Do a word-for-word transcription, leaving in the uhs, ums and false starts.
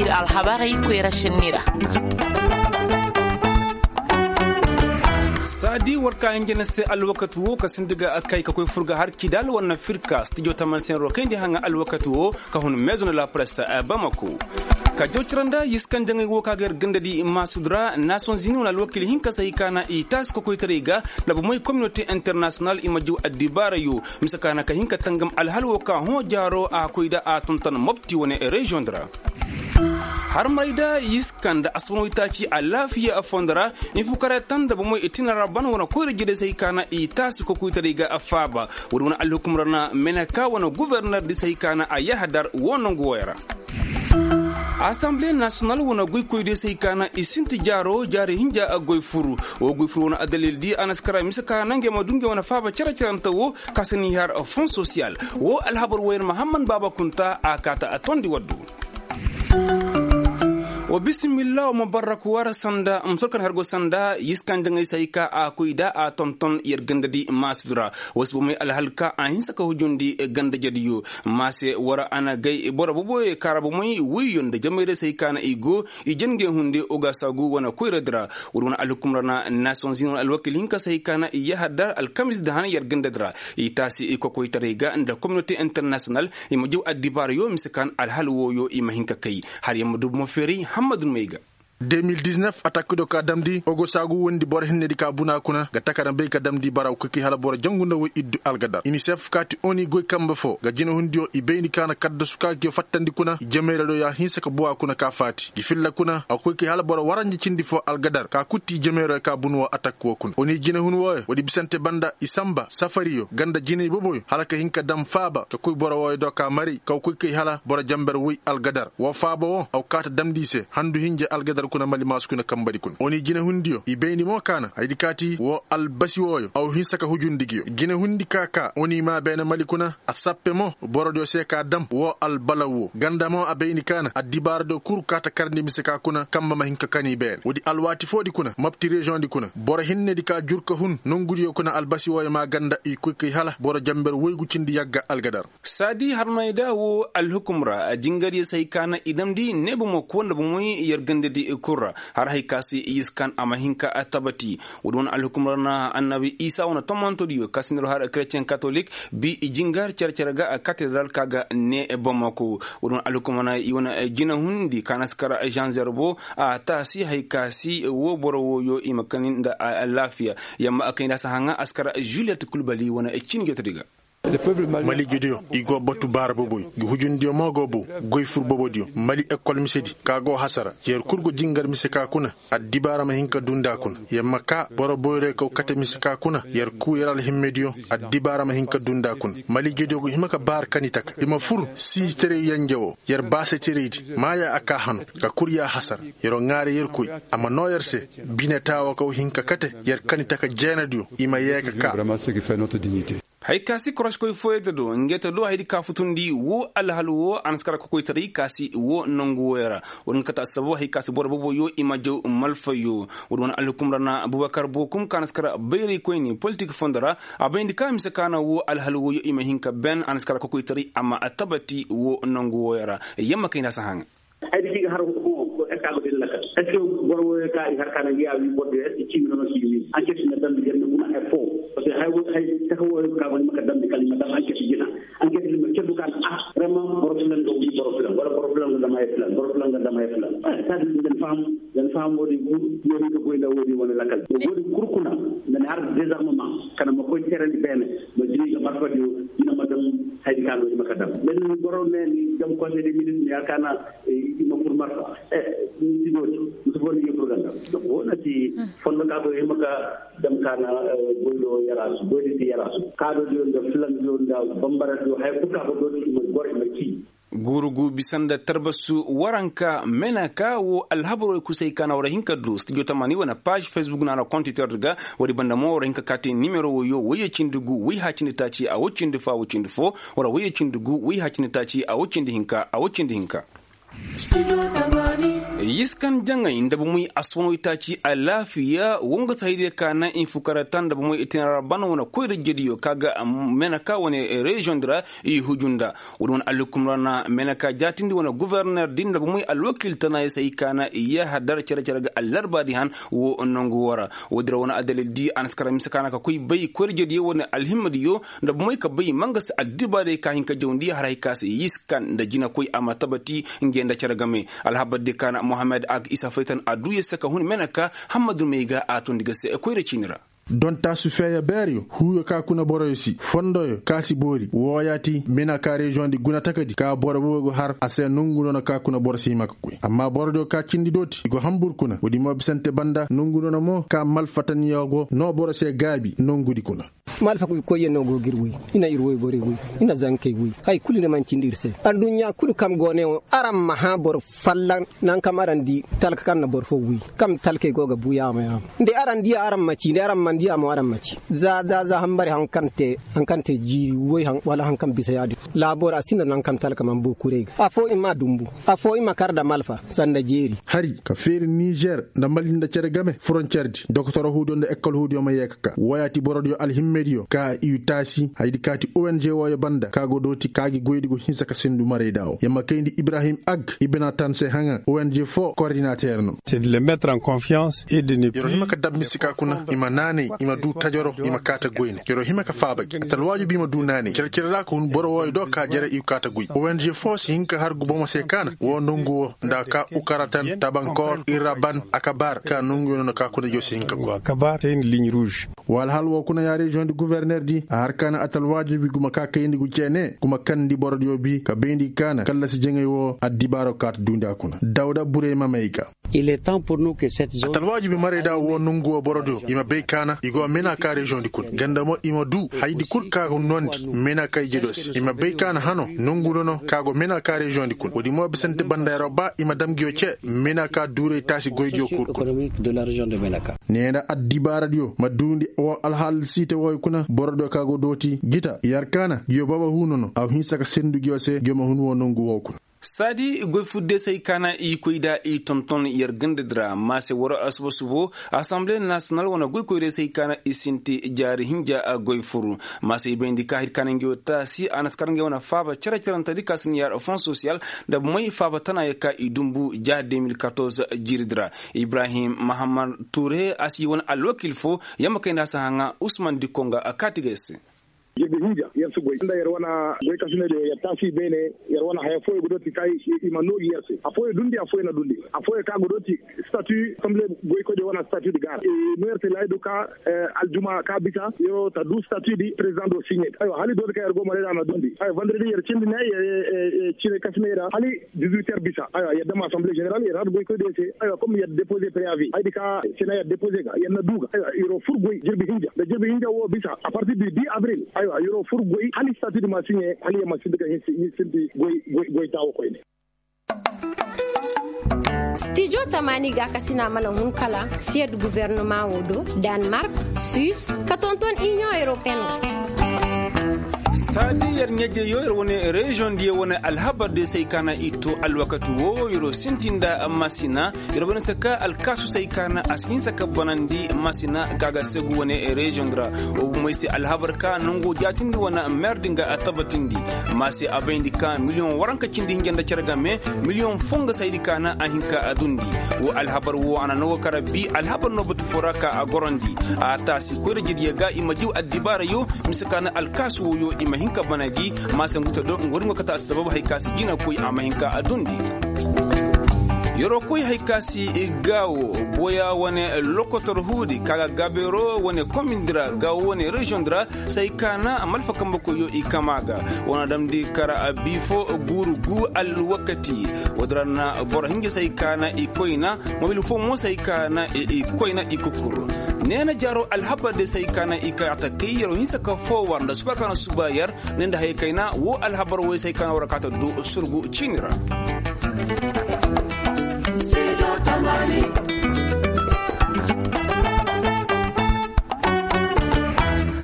Ir alhabarey koyra sinni ra. Saadi war ka hinja na se alwakati wo ka sinda ga kay ka koy fur ga har kidal wane firka stijo taman senro kayndi haŋa alwakati wo ka hun meezo na la presse bamako. Ka jaw cira nda yiskan jaŋay wo ka ga yar ganda di maasud ra nason zini wane alwakil hinka se hay ka na i taasi kokoytaray ga nda bomoy kominote internasiyonal i ma jaw addibaarayo mise ka na ka hin ka tangam alhal wo ka hõ jaaro a koy da a tonton mopti wane reziyoŋ di ra. Harmaray da yiskan nda asman waytaaci alaafiya a fondo ra. Infukaray tan nda bomoy i tina ra ban wane koyra jede se hay ka na i taasi kokoytaray ga a faaba. Woodi wane alhukum ra na meneka wane guverner di se hay ka na a yahadar wo nangu wooyo ra. Asanbile nasiyonal wane goykoy di se hay ka na i sinti jaaro jaari hinja a goy furu. Wo goy furu wane addalil di a na si kara mise ka na ngey ma du ngey wane faaba cere-cerante wo ka si ni har fon sosiyal. Wo alhabar wooyo ra mahamman baaba kunta a kaata a tondi waddu. Wa bisimilla wa ma barrak wara sanda musol kan hargo sanda yiskan jaŋay se hay ka a koy da a tonton yer ganda di maasud ra. Wa si bomey alhal ka a hinsa ka hujundi ganda jadiyo. Maase wara a na gay boro boboyo kaara bomey woyyo nda jamayra se hay ka na i go i jangey hunde ogasagu wane koyra di ra. Wala wane alhukum ra na nations unies wane alwakil hinka se hay ka na i yaha dar alkamis da han yer ganda di ra. I taasi i kokoytaray ga nda kominote internasiyonal i ma jaw addibaarayo mise ka na alhal wooyo i ma hin ka kay. Har yer ma du bomo feeray hammadu may ga. De mil diznef atakkido ka damndi ogosaagu wondi boro hinnedi ka buna kuna ga taka na bay ka damndi bara koy kay hala boro jangu nda woy iddu algadar inisef kaati oni goy kambe foo ga jinehundiyo i bayndi ka na kaddasu ka giyo fattandi kuna i jemeyradiyo ya hinsa ka buwa kuna ka faati gi filla kuna a koy kay hala boro waranja cindi foo algadar ka kutti i jemeyradiyo ka bunu woo atakki woo kuna oni jinehun wooyo woodi bisante banda i sanba safariyo ganda jiney boboyo hala ka hin ka dam faaba ka koy boro wooyo do ka maray ka koy kay hala boro janber woy algadar woo faaba woo a go kaata damndi i se handu hinja algadar kuna mali maasu kuna kambadi kuna oni jinehundiyo i bayndi mo ka na hayadi kaati woo albasi wooyo a go hinsa ka hujundi giyo jinehundi ka ka oni maa beene mali kuna a sappe mo borodiyo se ka dam woo albalaw woo ganda mo a bayndi ka na addibaaradiyo kul kaata karndi mise ka kuna kamba ma hin ka kani beene woodi alwaati foodi kuna mapti reziyoŋdi kuna boro hinnedi ka jur ka hun nongudiyo kuna albasi wooyo maa ganda i koy kay hala boro janber woygu cindi yagga algadar saadi harmayda woo alhukum ra jingaryo se hay ka na i damndi ne bomo koo nda bomoy yer gandadi kul ra har hay ka se i yiskan a ma hin ka tabati woodi wane alhukum ra na annabi isa wane tomantodiyo ka si nda har keretiyen katolik bi i jingar cere-cere ga katedral ka ga ne bomo koo woodi wane alhukum ra na i wane jinehundi ka na si kar zanzer bo a taasi hay ka si woo boro wooyo i ma kani nda alaafiya yamma a kay nda a si haŋa a si kar juliyet kulbali wane cin jotodi ga maliijediyo i go batu baara boboy gi hujundiyo mo go bow goy fur bobodiyo mali ekol misedi ka go hasara yer kul go jingar mise ka kuna addibaara ma hin ka duu nda a kuna yer ma kaa boro boyroy kaw kate mise ka kuna yer kuu yer alhimmediyo addibaara ma hin ka duu nda a kuna maliijediyo go hima ka baara kani taka i ma fur siijitaray yenje woo yer baasatiraydi maaya a kaa hano ka kul yaa hasara yeroo ŋaare yerkoy a ma noo yer se bine taawa kaw hin ka kate yer kani taka jeenadiyo i ma yee ka kaa hay ka si koroskoy fooyey da do ngey ta do hayadi ka futundi woo alhal woo a na si kar kokoytaray ka si woo nongu wooyo ra woodi nga kate assabo hay ka si boro boboyo i ma jaw malfayo woodi wane alhukum ra na abubakar bookum ka na si kar bayraykoyni politik fondo ra a bayndi ka mise ka na woo alhal wooyo i ma hin ka ben a na si kar kokoytaray a ma tabati woo nongu wooyo ra yamma kay nda a si haŋa ay di ki ga har ko esta go din lakal est ce que boro wo ka i har kana ya wi boro de est ce que mi no si wi an ke na dan bi na kuna ay fo parce que hay wo hay ta ko wo ka wani maka dan bi kalima dan an ke jina an ke ma ke du kan ah vraiment boro filan go wi boro filan wala boro filan go da mai filan boro filan go da mai filan ta di den fam den fam wo di gu yo ni ko goy da wo di wala lakal wo di kurkuna nan har désarmement kana ma koy terandi bene ma jini ga marfa di ina madam hay kan wo di maka dan men boro ne ni dam conseil des ministres ya kana i ma fur marfa e ni ti dooti musu bonni yo fur ganda wona ti fondo ka ko hima ka dam kana goydo yarasu goydi ti yarasu ka do dio nda filan dio nda bambara dio hay kuka ko dooti ima gor ima ki gurugu bisa nda tarbasu waranka mena ka wo alhabaroo kusay ka na war hin ka du studio tamani wane page facebook na na kontitor ga wari banda mo war hin ka kaati nimero wo yo wayye cindi gu wayha cindi taaci a wo cindi fo a wo cindi fo wara wayye cindi gu wayha cindi taaci a wo cindi hinka a wo cindi hinka Yiskan jaŋay nda bomey aswanoo itaaci alaafiya wo nga si haydiyo ka naŋ i fukara ta nda bomey itinara ban wane koyra jediyo ka ga meneka wane reziyoŋ di ra. I huju nda woodi wane alhukum ra na meneka jaatindi wane goforner di nda bomey alwakiil tana ya si hay ka naŋ i yahadar cere-cere ga allarba di han wo nangu wo ra. Woodi ra wane adalil di a na si kara mise ka naŋ ka koy bay koyra jediyo wane alhimmadiyo nda bomey ka bay ma nga si addibaarey ka hin ka jawndi har hay ka se yiskan nda jinakoy a ma tabati. Ngey nda cere game alhabar di ka na mohammed ag isa faytan a du ya se ka hun mena ka hammadu may ga a tondi ga se koyra ciini ra. Don taasu feeya beeryo huuyo ka kuna boroyo si fondoyo ka si boori wooyaati mena ka reziyoŋ di guna takadi ka boro boobo go har a se nongu nono ka kuna boro si hima ka koy amma borodiyo ka cindi dooti i go hambur kuna woodi mo bisante banda nongu nono mo ka malfataniyo go noo boro se gaabi nongudi kuna. Ma alfakuy koyyaŋ no go ga ir woy. I na ir woy borey woy. I na zankey woy. Hay kulu i na mancindi ir se. Adduɲɲa kulu kaŋ go ne wo araŋ ma hã boro fallaŋ. Naŋ kaŋ araŋ di talka kaŋ na boro fo woy kaŋ talkey go ga bu yaama yaama. Nda araŋ diya araŋ ma ci nda araŋ mana diya mo araŋ ma ci. Za za za hambari haŋ kaŋ te jiiri woy wala haŋ kaŋ bisa yaadin. Laabo ra a sinda naŋ kaŋ talka mana boo kurey ga afo i ma dumbu. Afo i ma kar nda malfa sanda jeeri. Hari ka feeri nizer nda mali nda cere game foroncer di doktor huudiyo nda ekol huudiyo ma yee ka ka wooyaati borodiyo alhimmediyo ka i taasi haydi kaati ong wooyo banda ka go dooti ka gi goydi go hinsa ka sendu marayda wo ya ma kayndi ibrahim ag i bina tan se haŋa ong fo kordinater no. Yer'o hima ka dab misi ka kuna i ma naanay i ma du tajaro i ma kaata goyne yer'o hima ka faaba gi atalwaaju bi i ma du naanay cere-cere ra ka hun boro wooyo do ka jere i kaata goy ong fo si hin ka har gubomo se kaana woo nongu woo nda ka ukaratan tabankor iraban akabar ka nonguyo no na ka kuna jo si hin ka goy. Wa alhal woo kuna ya reziyoŋ di guverner di a har kaana atalwaaju bi guma ka kayndi gu ceene guma kandi borodiyo bi ka bayndi kaana kallasi jaŋay woo addibaaro kaata duundi a kuna dawda burey ma may ga. Atalwaaju bi marayda woo nongu woo borodiyo i ma bay kaana i go mena ka reziyoŋ di kuna ganda mo i ma du hayadi kul ka ga noondi mena ka ije do se i ma bay kaana hano nongu nono ka go mena ka reziyoŋ di kuna woodi mo bisante banda yaraw ba i ma dam nguyo ce mena ka duuray taasi goydiyo kul kuna. Neera addibaaradiyo ma duundi woo alhaal siite wooyo kuna borodiyo ka go dooti gita yer kaana nguyo baba huu nono a hinsa ka sendu nguyo se nguyo ma hun woo nongu woo kuna. Saadi goy fur de se ay kaana i koy da i tonton yer ganda di ra maase war asuba subo asamble nasiyonal wane goy koy de se ay kaana i sinti jaari hinja goy fur. Maase i bayndi ka hay kaana ngi wo taasi a na si kar ngi wane faaba cere-cerentedi ka si ni yaar fon sosiyal nda bomey faaba tana ya ka i dumbu ja de mil katorze jiiri di ra. Ibrahim mahamad ture a si wane alwakil fo yamma kayndi a si haŋa usman dikko nga a kaati ga ay se. Jirbi hinja yer si goy nda yer wane goy kasinediyo yer taasi beene. Yer wane haya fooyo ga dooti ka i ma noogi yer se afooyo dundi afooyo na dundi afooyo ka ga dooti statu asamble goykoydiyo wane statu di gaara. No yer se laayidu ka aljuma ka bisa yer ta du statu di president do siɲe. Aywa hala i dooti ka yer go marayda na dundi aywa vandredi yer cindi ne yer cine kasiney ra hala dizuit yer bisa aywa yer dam asamble ženeral yer har goykoydiyo se aywa kom yer depoze preavi haydi ka sena yer depoze ga yer na du ga aywa yer wo fur goy jirbi hinja nda jirbi hinja wo bisa a partir du dix avril aywa yer wo fur goy hala statu di ma siɲe hala yer ma sinti ka hin sinti goy goy taawo koyne. Stijo tamaani gaakasina mana hun kala siyed guvernama wo do, danmark, suis, ka tonton inion europeen wo. Saadi yer ɲeejeyo yer wane reziyoŋ diyo wane alhabar diyo se ay kaana i to alwakati wo yer wo sinti nda masina. Yer wane se ka alkaasu se ay kaana a si hinsa ka banandi masina ka ga segu wane reziyoŋ di ra. Wo bomey se alhabar ka nango jaatindi wane mer di nga a tabatindi. Ma se a bayndi ka miliyoŋ waranka cindi hinja nda cere game miliyoŋ fo nga saydi kaana a hin ka a dundi. Wo alhabar wo a na no ga kara bi alhabar no batu fo ra ka a gorandi. A taasi koyra jediyo ga i ma diw addibaarayo mise kaana alkaasu woyo i ma hin ka bana gi. Ma se ngu ta do nga wari ngo kata assabab hari ka si jina koy a ma hin ka a dundi. Yeroo koy hay ka si gaawo boya wane lokotor huudi ka ga gabeero wane komindi ra gaawo wane reziyoŋ di ra. Say kaana malfa kambe koyo i kama ga wane damndi kara bifo guuru gu alwakati. Woodi ra na boro hinja say kaana i koyna mobil fo mo say kaana i koyna i kukur. Neena jaaro alhabar de say kaana i kay a ta kay yeroo hinsa ka fo war nda suba kaana suba yer. Ne nda haya kayna wo alhabar woy say kaana war kaata du surgu ciini ra.